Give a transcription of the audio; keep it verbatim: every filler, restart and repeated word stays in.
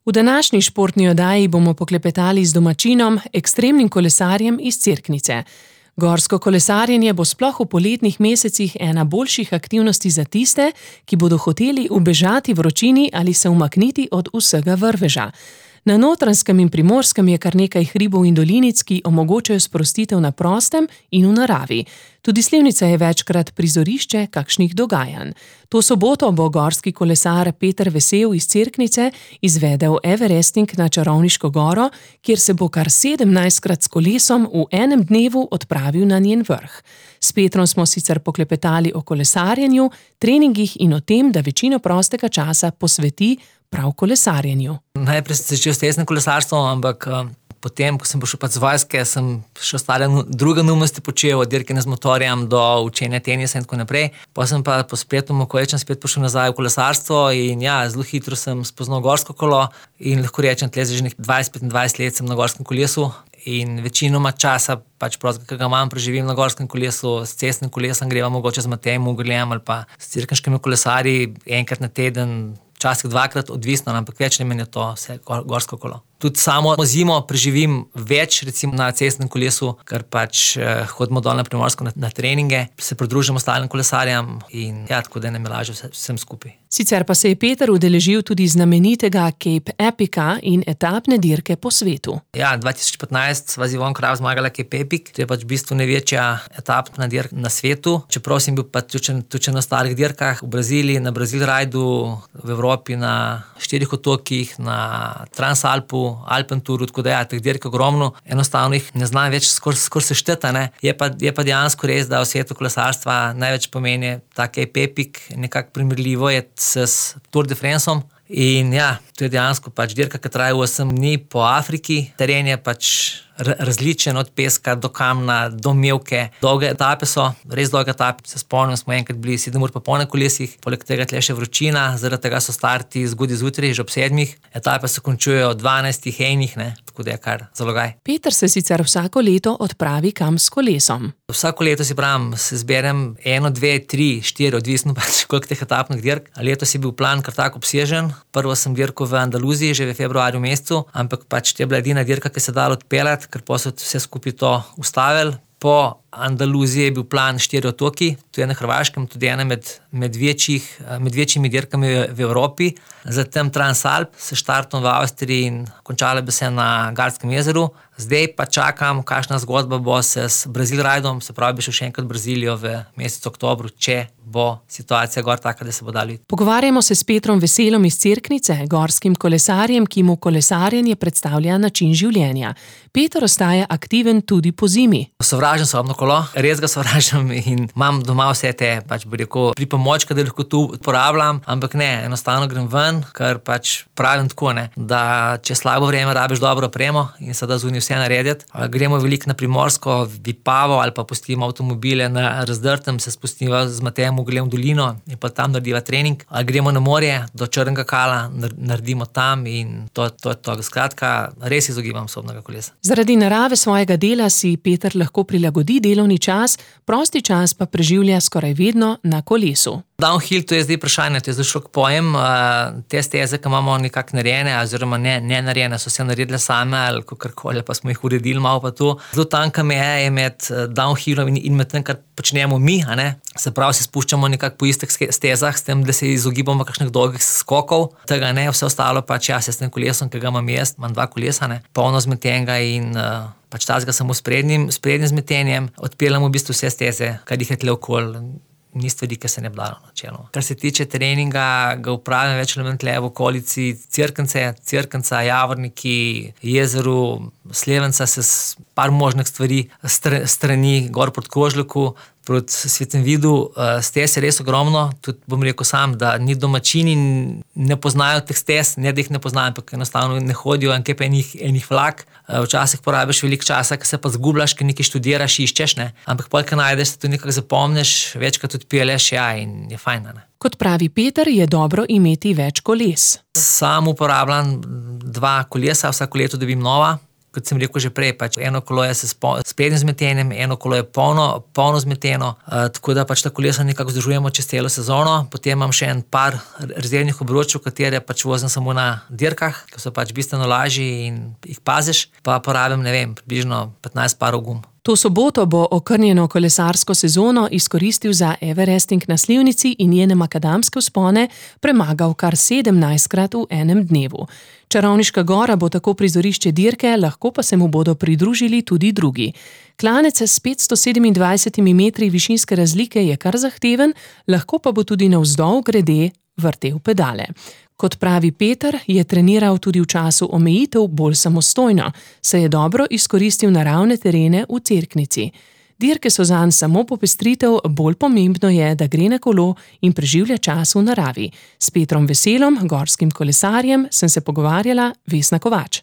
V današnji športni oddaji bomo poklepetali z domačinom, ekstremnim kolesarjem iz Cerknice. Gorsko kolesarjenje bo sploh v poletnih mesecih ena boljših aktivnosti za tiste, ki bodo hoteli ubežati vročini ali se umakniti od vsega vrveža. Na Notranjskem in Primorskem je kar nekaj hribov in dolinic, ki omogočajo sprostitev na prostem in v naravi. Tudi Slivnica je večkrat prizorišče kakšnih dogajanj. To soboto bo gorski kolesar Peter Vesel iz Cerknice izvedel everesting na Čarovniško goro, kjer se bo kar sedemnajstkrat s kolesom v enem dnevu odpravil na njen vrh. S Petrom smo sicer poklepetali o kolesarjenju, treningih in o tem, da večino prostega časa posveti prav kolesarjenju. Najprej sem začel s testnim kolesarstvom, ampak uh, potem, ko sem prišel pač z vojske, sem še ostale druge neumnosti počel, od dirkanja z motorjem do učenja tenisa in tako naprej. Pa sem pa po spletnem okoličem spet prišel nazaj v kolesarstvo in ja, zelo hitro sem spoznal gorsko kolo in lahko rečem, tle že dvajset petindvajset let sem na gorskem kolesu in večinoma časa pač prosto, ki ga imam, preživim na gorskem kolesu, s cestnim kolesom greva mogoče z Matejem Ugrljem ali pa s cirkanškimi kolesarji enkrat na teden, včasih dvakrat, odvisno, ampak več ne meni je to vse gorsko kolo. Tudi samo zimo preživim več, recimo na cestnem kolesu, ker pač eh, hodimo dol na Primorsko na, na treninge, se pridružimo ostalim kolesarjem in ja, tako da nam je lažje vse, vsem skupaj. Sicer pa se je Peter udeležil tudi znamenitega Cape Epica in etapne dirke po svetu. Ja, dva tisoč petnajst sva z Ivon Krav zmagala Cape Epic, to je pač v bistvu največja etapna dirka na svetu, čeprav sem bil pa tudi na ostalih dirkah v Braziliji, na Brazil Rajdu, v Evropi, na štirih otokih, na Transalpu, Alpenturu, tako da ja, teh dirk ogromno, enostavno jih ne znam več skoraj skor sešteti, ne. Je pa, je pa dejansko res, da v svetu kolesarstva največ pomeni ta Cape Epic, nekako primerljivo je s Tour de Franceom. In ja, to je dejansko pač dirka, ki traja osem dni po Afriki, teren je pač različen od peska do kamna, do mevke. Dolge etape so, res dolge etape. Se spomnim, smo enkrat bili sedem ur pa pol na kolesih, poleg tega tle še vročina, zaradi tega so starti zgodaj zjutraj, že ob sedmih. Etape se končujejo ob dvanajstih enih, ne, tako da je kar zalogaj. Peter se sicer vsako leto odpravi kam s kolesom. Vsako leto si pravim, se zberem eno, dve, tri, štiri, odvisno pač koliko teh etapnih dirk. Letos je bil plan kar tako obsežen. Prvo sem dirkal v Andaluziji že v februarju mesecu, ampak pač to je bila edina dirka, ki se dala odpeljati, ker pa so vse skupaj to ustavili. Po Andaluziji je bil plan štiri otoki, to je na Hrvaškem, tudi ena med, med, večjih, med večjimi dirkami v, v Evropi. Zatem Transalp s štartom v Avstriji in končala bi se na Gardskem jezeru. Zdaj pa čakam, kakšna zgodba bo se s Brazil Rajdom, se pravi, bi šel še enkrat v Brazilijo v mesecu oktobru, če bo situacija gor taka, da se bo dali. Pogovarjamo se s Petrom Veselom iz Cerknice, gorskim kolesarjem, ki mu kolesarjenje predstavlja način življenja. Peter ostaja aktiven tudi po zimi. Sovražim sobno kolo, res ga sovražim in imam doma vse te, pač bi rekel, pripomočke, da lahko tu uporabljam, ampak ne, enostavno grem ven, ker pač pravim tako, ne, da če slabo vreme rabiš dobro opremo in se da zunaj vse narediti. Gremo veliko na Primorsko, Vipavo ali pa pustimo avtomobile na razdrtem, se spustimo z Matejem Ugrljem v dolino in pa tam narediva trening. Ali gremo na morje do Črnega Kala, naredimo tam in to, to je to. Skratka, res izogibam sobnega kolesa. Zaradi narave svojega dela si Peter lahko prilagodi delovni čas, prosti čas pa preživlja skoraj vedno na kolesu. Downhill, to je zdaj vprašanje, to je zelo širok pojem. Te steze, ki imamo nekako narejene, oziroma ne, ne narejene, so se naredile same ali kakorkoli, pa smo jih uredili malo pa to. Zelo tanka meja je med downhillom in, in med tem, kar počnemo mi, a ne. Se pravi, se spuščamo nekako po istih stezah, s tem, da se izogibamo kakšnih dolgih skokov. Tega ne, vse ostalo pač jaz s tem kolesom, ki ga imam jaz, imam dva kolesa, ne, polno zmetenega in uh, pač tazga samo s prednjim, s prednjim zmetenjem, odpeljamo v bistvu vse steze, kar jih je tle okoli. Ni stvari, ki se ne bi dalo načeloma. Kar se tiče treninga, ga upravljam več ali manj tle v okolici Cerknice, Cerknica, Javorniki, jezeru, Slevenca se s par možnih stvari strani gor proti Kožljaku, proti Svetem Vidu, stez je res ogromno, tudi bom rekel sam, da ni domačini ne poznajo teh stez, ne da jih ne poznajo, ampak enostavno ne hodijo en kep enih, enih vlak. Včasih porabiš veliko časa, ko se pa zgubljaš, ko nekaj študiraš, iščeš, ne, ampak pol, ko najdeš, se to nekako zapomniš, večkrat odpelješ, ja, in je fajn, ne. Kot pravi Peter, je dobro imeti več koles. Sam uporabljam dva kolesa, vsako leto dobim nova, kot sem rekel že prej, pač eno kolo je s sprednjim zmetenjem, eno kolo je polno, polno zmeteno, uh, tako da pač ta kolesa nekako vzdržujemo čez celo sezono. Potem imam še en par rezervnih obročev, katere pač vozim samo na dirkah, ki so pač bistveno lažji in jih paziš, pa porabim, ne vem, približno petnajst parov gum. To soboto bo okrnjeno kolesarsko sezono izkoristil za Everesting na Slivnici in njene makadamske vzpone premagal kar sedemnajstkrat v enem dnevu. Čarovniška gora bo tako prizorišče dirke, lahko pa se mu bodo pridružili tudi drugi. Klanec s petsto sedemindvajsetimi metri višinske razlike je kar zahteven, lahko pa bo tudi navzdol grede vrtel pedale. Kot pravi Peter, je treniral tudi v času omejitev bolj samostojno, saj je dobro izkoristil naravne terene v Cerknici. Dirke so zanj samo popestritev, bolj pomembno je, da gre na kolo in preživlja čas v naravi. S Petrom Veselom, gorskim kolesarjem, sem se pogovarjala Vesna Kovač.